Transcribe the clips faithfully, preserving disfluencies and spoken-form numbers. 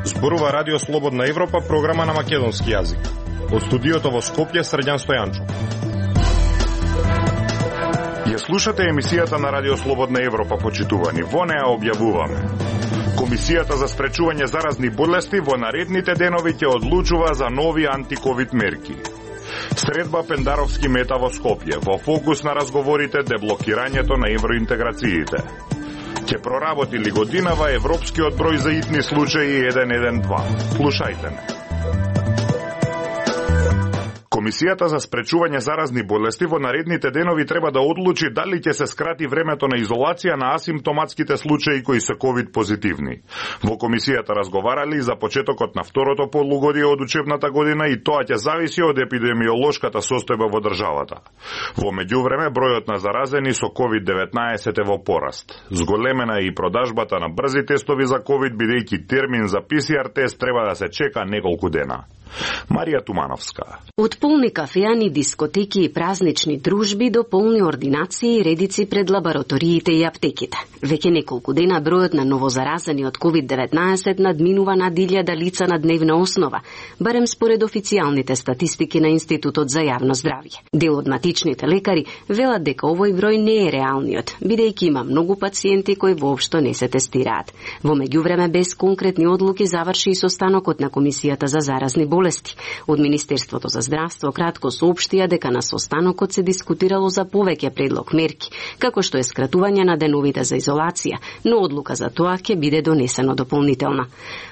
Зборува Радио Слободна Европа, програма на македонски јазик. Од студиото во Скопје, Срđan Стојанчо. Ја слушате емисијата на Радио Слободна Европа, почитувани. Во неа објавуваме: Комисијата за спречување заразни болести во наредните денови ќе одлучува за нови антиковид мерки. Средба Пендаровски мета во Скопје. Во фокус на разговорите деблокирањето на евроинтеграциите. Ќе проработи ли годинава европскиот број за итни случаи еден еден два? Слушајте ме. Комисијата за спречување заразни болести во наредните денови треба да одлучи дали ќе се скрати времето на изолација на асимптоматските случаи кои се ковид позитивни. Во комисијата разговарали за почетокот на второто полугодие од учебната година и тоа ќе зависи од епидемиолошката состојба во државата. Во меѓувреме бројот на заразени со ковид деветнаесет е во пораст. Зголемена е и продажбата на брзи тестови за ковид, бидејќи термин за пе се ар тест треба да се чека неколку дена. Марија Тумановска. Од полни кафеани, дискотеки и празнични дружби до полни ординации и редици пред лабораториите и аптеките. Веќе неколку дена бројот на новозаразени од ковид деветнаесет надминува над илјада лица на дневна основа, барем според официјалните статистики на Институтот за јавно здравје. Дел од матичните лекари велат дека овој број не е реалниот, бидејќи има многу пациенти кои воопшто не се тестираат. Во меѓувреме, без конкретни одлуки заврши и состанокот на Комисијата за заразни болести. Од Министерството за здравство кратко соопштија дека на состанокот се дискутирало за повеќе предлог мерки, како што е скратување на деновите за изолација, но одлука за тоа ќе биде донесено дополнителна.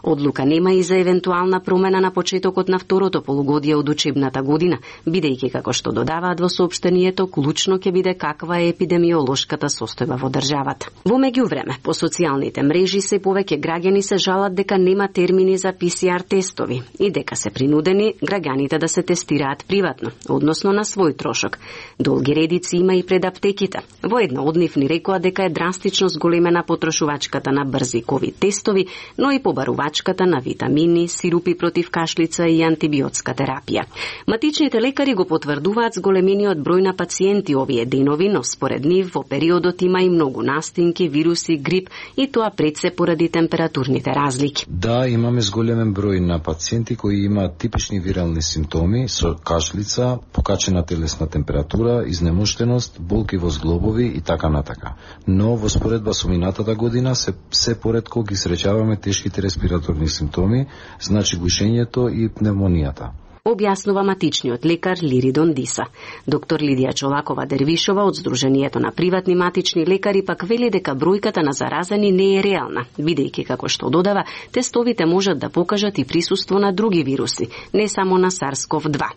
Одлука нема и за евентуална промена на почетокот на второто полугодие од учебната година, бидејќи како што додаваат во соопштението, клучно ќе биде каква е епидемиолошката состојба во државата. Во меѓувреме, по социјалните мрежи се повеќе граѓани се жалат дека нема термини за пе се ар тестови и дека се принудени граѓаните да се тестираат приватно, односно на свој трошок. Долги редици има и пред аптеките. Во една од нив ни рекоа дека е драстично зголемена потрошувачката на брзи ковид тестови, но и побарувачката на витамини, сирупи против кашлица и антибиотска терапија. Матичните лекари го потврдуваат зголемениот број на пациенти овие денови, но според нив во периодот има и многу настинки, вируси, грип и тоа пред се поради температурните разлики. Да, имаме зголемен број на пациенти кои имаат типични вирални симптоми со кашлица, покачена телесна температура, изнемуштеност, болки во зглобови и така натака. Но во споредба со минатата година се се поретко ги среќаваме тешките респираторни симптоми, значи гушењето и пневмонијата. Објаснува матичниот лекар Лиридон Диса. Доктор Лидија Чолакова Дервишова од Сдруженијето на приватни матични лекари пак вели дека бројката на заразени не е реална, бидејќи како што додава, тестовите можат да покажат и присуство на други вируси, не само на сарс ков два.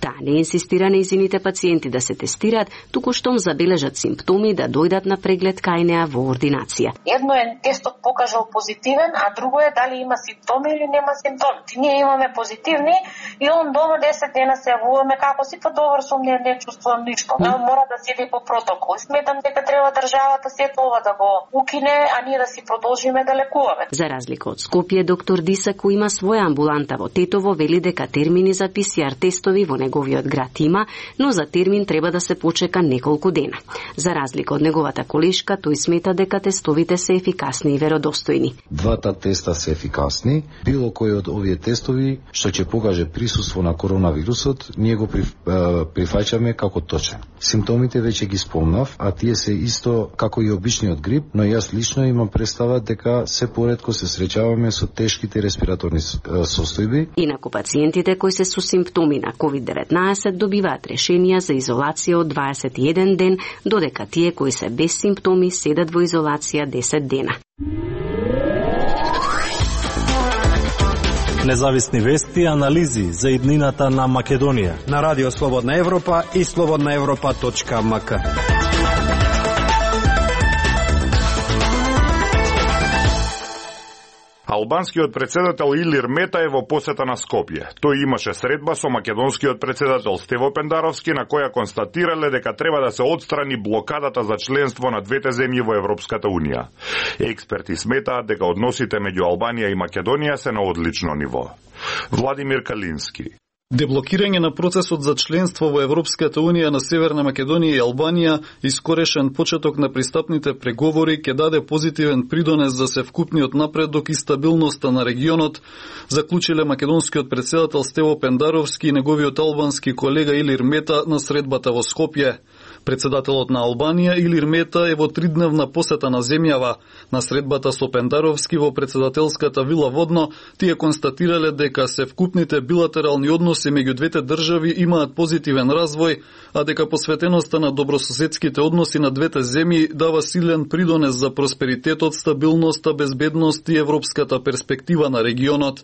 Таа не инсистира нејзините пациенти да се тестираат, туку штом забележат симптоми да дојдат на преглед кај неа во ординација. Едно е тестот покажал позитивен, а друго е дали има симптоми или нема симптоми. Ние имаме позитивни и он дома десет дена се јавуваме како си, па добар сум, не, не чувствувам ништо. Mm. Мора да седи по протокол. Сметам дека треба државата се тоа да го укине, а ние да си продолжиме да лекуваме. За разлика од Скопје, доктор Диса, кој има своја амбуланта во Тетово, вели дека термини за пе се ар тестови во неговиот град има, но за термин треба да се почека неколку дена. За разлика од неговата колешка, тој смета дека тестовите се ефикасни и веродостојни. Двата теста се ефикасни. Било кој од овие тестови што ќе покаже присуство на коронавирусот, ние го прифаќаме како точен. Симптомите веќе ги спомнав, а тие се исто како и обичниот грип, но јас лично имам представа дека се поретко се среќаваме со тешките респираторни состојби. Инаку пациентите кои се со симптоми на ковид деветнаесет добиваат решенија за изолација од дваесет и еден ден, додека тие кои се без симптоми седат во изолација десет дена. Независни вести и анализи за иднината на Македонија на Радио Слободна Европа и слободна европа точка ем ка. Албанскиот председател Илир Мета е во посета на Скопје. Тој имаше средба со македонскиот председател Стево Пендаровски, на која констатирале дека треба да се отстрани блокадата за членство на двете земји во Европската Унија. Експерти сметаат дека односите меѓу Албанија и Македонија се на одлично ниво. Владимир Калински. Деблокирање на процесот за членство во Европската Унија на Северна Македонија и Албанија и скорешен почеток на пристапните преговори ќе даде позитивен придонес за севкупниот напредок и стабилноста на регионот, заклучиле македонскиот претседател Стево Пендаровски и неговиот албански колега Илир Мета на средбата во Скопје. Председателот на Албанија Илир Мета е во тридневна посета на земјава. На средбата со Пендаровски во председателската вила Водно, тие констатирале дека севкупните билатерални односи меѓу двете држави имаат позитивен развој, а дека посветеноста на добрососедските односи на двете земји дава силен придонес за просперитетот, стабилноста, безбедност и европската перспектива на регионот.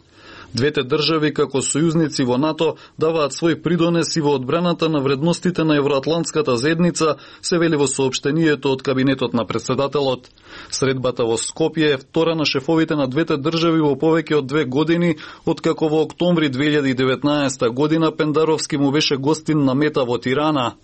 Двете држави како сојузници во НАТО даваат свој придонес и во одбраната на вредностите на евроатлантската заедница, се вели во соопштението од кабинетот на председателот. Средбата во Скопје е втора на шефовите на двете држави во повеќе од две години, откако во октомври две илјади и деветнаесета година Пендаровски му беше гостин на Мета во Тирана.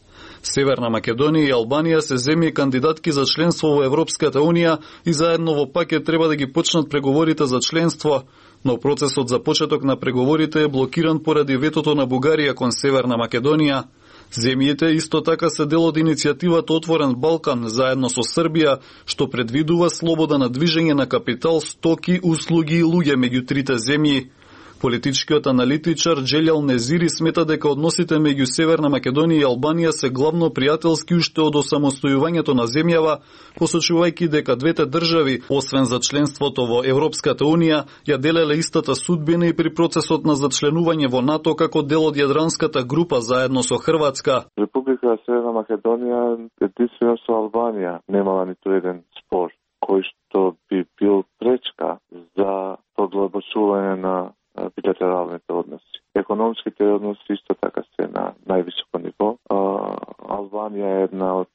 Северна Македонија и Албанија се земји кандидатки за членство во Европската Унија и заедно во пакет треба да ги почнат преговорите за членство, но процесот за почеток на преговорите е блокиран поради ветото на Бугарија кон Северна Македонија. Земјите исто така се дел од иницијативата Отворен Балкан заедно со Србија, што предвидува слобода на движење на капитал, стоки, услуги и луѓе меѓу трите земји. Политичкиот аналитичар Джелјал Незири смета дека односите меѓу Северна Македонија и Албанија се главно пријателски уште од осамостојувањето на земјава, посочувајќи дека двете држави, освен за членството во Европската Унија, ја делеле истата судбина и при процесот на зачленување во НАТО како дел од Јадранската група заедно со Хрватска. Република Северна Македонија единствено со Албанија немала ниту еден спор кој што би бил пречка за подлабочување на билатералните односи. Економските односи исто така се на највисоко ниво. Албанија е една од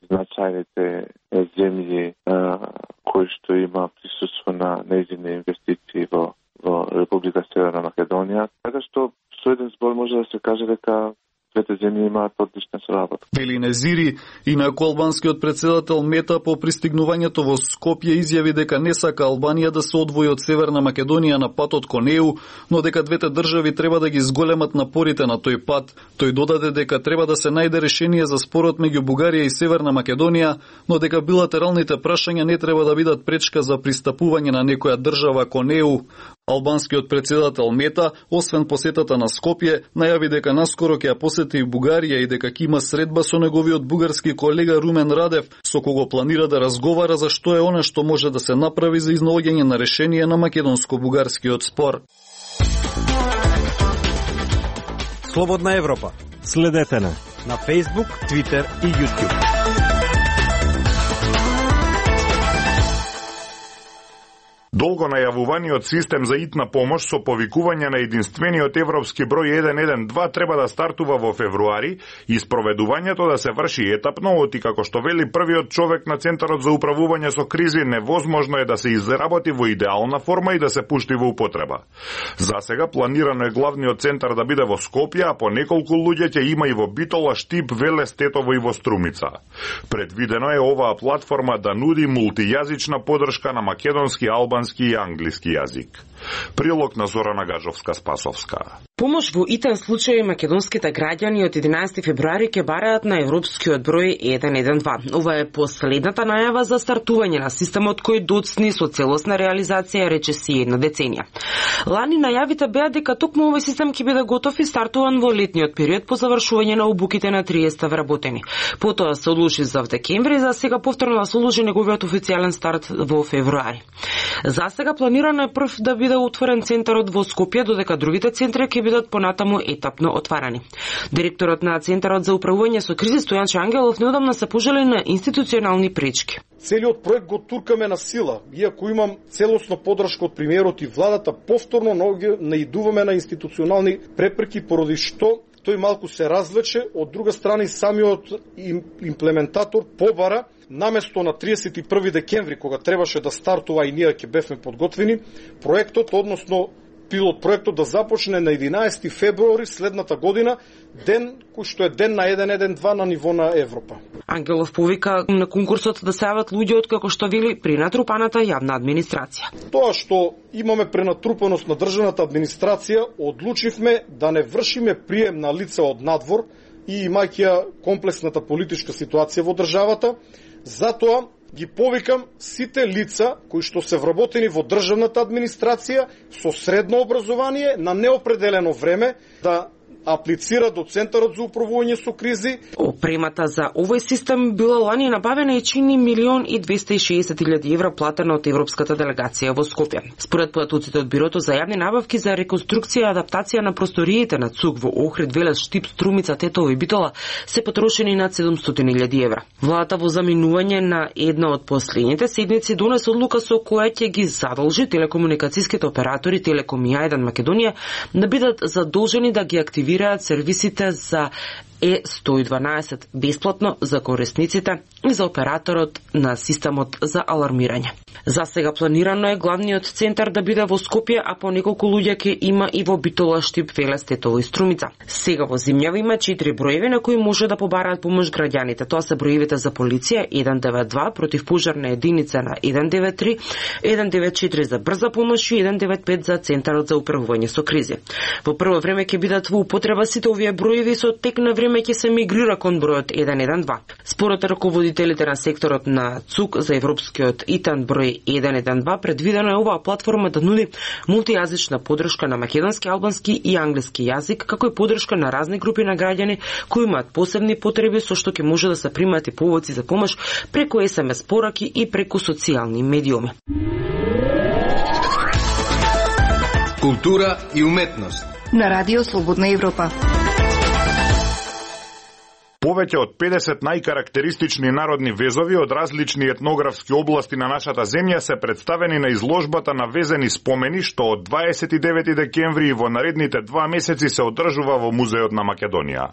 значајните земји кои што има присуство на нејзини инвестиции во, во Република Северна Македонија. Така што со еден збор може да се каже дека двете земји имаат одлична соработа. Вели Незири, инаку албанскиот претседател Мета по пристигнувањето во Скопје изјави дека не сака Албанија да се одвои од Северна Македонија на патот кон Е У, но дека двете држави треба да ги зголемат напорите на тој пат. Тој додаде дека треба да се најде решение за спорот меѓу Бугарија и Северна Македонија, но дека билатералните прашања не треба да бидат пречка за пристапување на некоја држава кон Е У. Албанскиот претседател Мета, освен посетата на Скопје, најави дека наскоро ќе ја посети и Бугарија и дека ќе има средба со неговиот бугарски колега Румен Радев, со кого планира да разговара за што е она што може да се направи за изнаоѓање на решение на македонско-бугарскиот спор. Слободна Европа. Следете на на Facebook, Twitter и YouTube. Долго најавуваниот систем за итна помош со повикување на единствениот европски број еден еден два треба да стартува во февруари и спроведувањето да се врши етапно, оти како што вели првиот човек на Центарот за управување со кризи, невозможно е да се изработи во идеална форма и да се пушти во употреба. За сега планирано е главниот центар да биде во Скопје, а по неколку луѓе ќе има и во Битола, Штип, Велес, Тетово и во Струмица. Предвидено е оваа платформа да нуди мултијазична подршка на македонски, албански и англиски јазик. Прилог на Зорана Гажовска-Спасовска. Помош во итен случај македонските граѓани од единаесети февруари ќе бараат на европскиот број еден еден два. Ова е последната најава за стартување на системот кој доцни со целосна реализација, речиси една деценија. Лани најавите беа дека токму овој систем ќе биде готов и стартуван во летниот период по завршување на обуките на триесет вработени. Потоа се одлучи за декември, за сега повторно да се одложи неговиот официјален старт во февруари. За сега планирано е прв да биде отворен центарот во Скопје, додека другите центри ќе бидат понатаму етапно отварани. Директорот на Центарот за управување со кризи Стојанче Ангелов неодамна се пожали на институционални пречки. Целиот проект го туркаме на сила, иако имам целосно подршка од премиерот и владата, повторно наидуваме на институционални препреки, поради што тој малку се развлече, од друга страна и самиот имплементатор побара наместо на триесет и први декември, кога требаше да стартува и ние ќе бевме подготвени, проектот, односно пилот проектот да започне на единаесети февруари следната година, ден кој што е ден на еден еден два на ниво на Европа. Ангелов повика на конкурсот да се јават луѓе од, како што вели, пренатрупаната јавна администрација. Тоа што имаме пренатрупаност на државната администрација, одлучивме да не вршиме прием на лица од надвор и имајќи комплексната политичка ситуација во државата. Затоа ги повикам сите лица кои што се вработени во државната администрација со средно образование на неопределено време да аплицира до Центарот за управување со кризи. Опремата за овој систем била лани набавена и чини милион и двесте и шеесет илјади евра платена од Европската делегација во Скопје. Според податоците од Бирото за јавни набавки за реконструкција и адаптација на просториите на ЦУК во Охрид, Велес, Штип, Струмица, Тетово и Битола се потрошени над седумстотини илјади евра. Владата во заминување на една од последните седмици донесе одлука со која ќе ги задолжи телекомуникацијските оператори Телеком и А еден Македонија да бидат задолжени да ги активираат сервисите за Е сто и дванаесет бесплатно за корисниците и за операторот на системот за алармирање. За сега планирано е главниот центар да биде во Скопје, а по неколку луѓе ќе има и во Битола, Штип, Велес, Тетово и Струмица. Сега во Зимјава има четири броеви на кои може да побараат помош граѓаните. Тоа се броевите за полиција еден девет два, против пожарна единица на еден девет три, еден девет четири за брза помош и еден девет пет за Центарот за управување со кризи. Во прво време ќе бидат во употреба сите овие броеви, со тек на време ќе се мигрира кон бројот еден еден два. Според раководителите на секторот на ЦУК за европскиот ИТАН број еден еден два, предвидено е оваа платформа да нуди мултијазична подршка на македонски, албански и англиски јазик, како и подршка на разни групи на граѓани кои имаат посебни потреби, со што ќе може да се примаат и повоци за помош преку ес ем ес пораки и преку социјални медиуми. Култура и уметност на Радио Слободна Европа. Повеќе од педесет најкарактеристични народни везови од различни етнографски области на нашата земја се представени на изложбата на везени спомени, што од дваесет и девети декември и во наредните два месеци се одржува во Музеот на Македонија.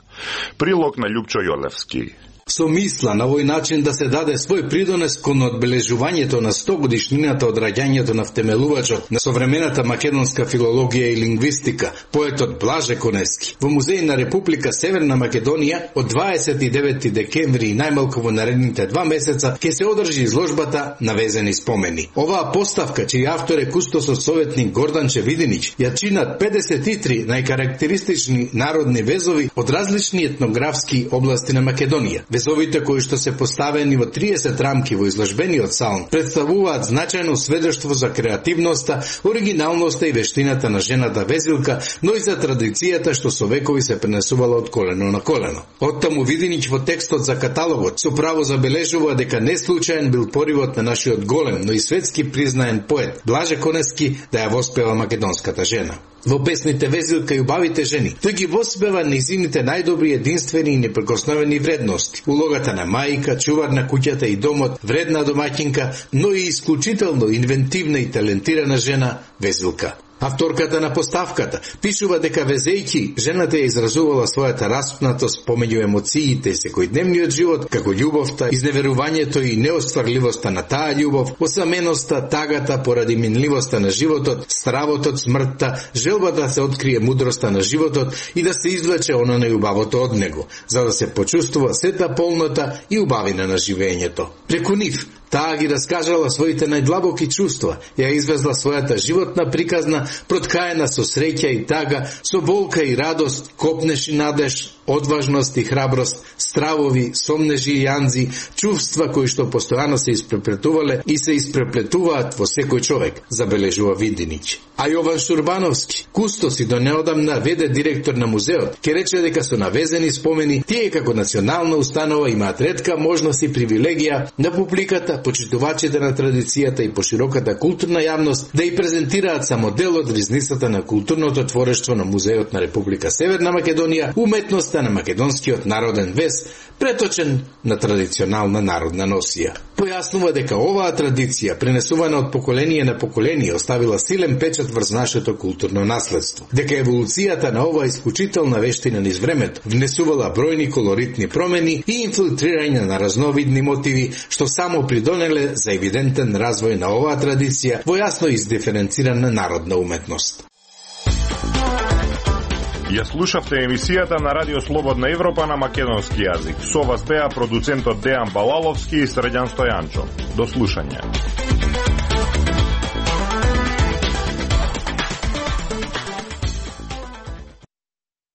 Прилог на Љупчо Јолевски. Со мисла на овој начин да се даде свој придонес кон одбележувањето на сто годишнината од раѓањето на втемелувачот на современата македонска филологија и лингвистика, поетот Блаже Конески. Во Музеј на Република Северна Македонија од дваесет и девети декември и најмалку во наредните два месеца ќе се одржи изложбата на везени спомени. Оваа поставка, чиј автор е кустосот советник Горданче Видинич, ја чинат педесет и три најкарактеристични народни везови од различни етнографски области на Македонија. Везовите кои што се поставени во триесет рамки во изложбениот салон представуваат значајно сведоштво за креативноста, оригиналноста и вештината на жената везилка, но и за традицијата што со векови се пренесувала од колено на колено. Оттаму Видинич во текстот за каталогот со право забележува дека не случаен бил поривот на нашиот голем, но и светски признаен поет Блаже Конески да ја воспева македонската жена. Во песните Везилка и убавите жени, тој ги воспева нејзините најдобри, единствени и непрекосновени вредности. Улогата на мајка, чувар на куќата и домот, вредна домаќинка, но и исклучително инвентивна и талентирана жена Везилка. Авторката на поставката пишува дека везејќи, жената ја изразувала својата распнатост помеѓу емоциите и секојдневниот живот, како љубовта, изневерувањето и неостварливоста на таа љубов, осаменоста, тагата поради минливоста на животот, стравот од смртта, желбата да се открие мудроста на животот и да се извлече она најубавото од него, за да се почувствува сета полнота и убавина на живењето. Преку нив, таа ги раскажала своите најдлабоки чувства, ја извезла својата животна приказна, проткаена со среќа и тага, со болка и радост, копнеш и надеж, одважност и храброст, стравови, сомнежи и јанзи, чувства кои што постојано се испреплетувале и се испреплетуваат во секој човек, забележува Видинич. А Јован Шурбановски, кустос и до неодамна веде директор на музеот, ке рече дека со навезени спомени, тие како национална установа имаат ретка можност и привилегија на публиката, почитувачите на традицијата и пошироката културна јавност да ја презентираат само дел од ризницата на културното творештво на Музеот на Република Северна Македонија, уметноста на македонскиот народен вез, преточен на традиционална народна носија. Појаснува дека оваа традиција, пренесувана од поколение на поколение, оставила силен печат врз нашето културно наследство. Дека еволуцијата на оваа исклучителна вештина низ времето внесувала бројни колоритни промени и инфилтрирање на разновидни мотиви, што само придонеле за евидентен развој на оваа традиција во јасно издиференцирана народна уметност. Ја слушавте емисијата на Радио Слободна Европа на македонски јазик. Со вас беа продуцентот Дејан Балаловски и Срđan Стојанчо. До слушање.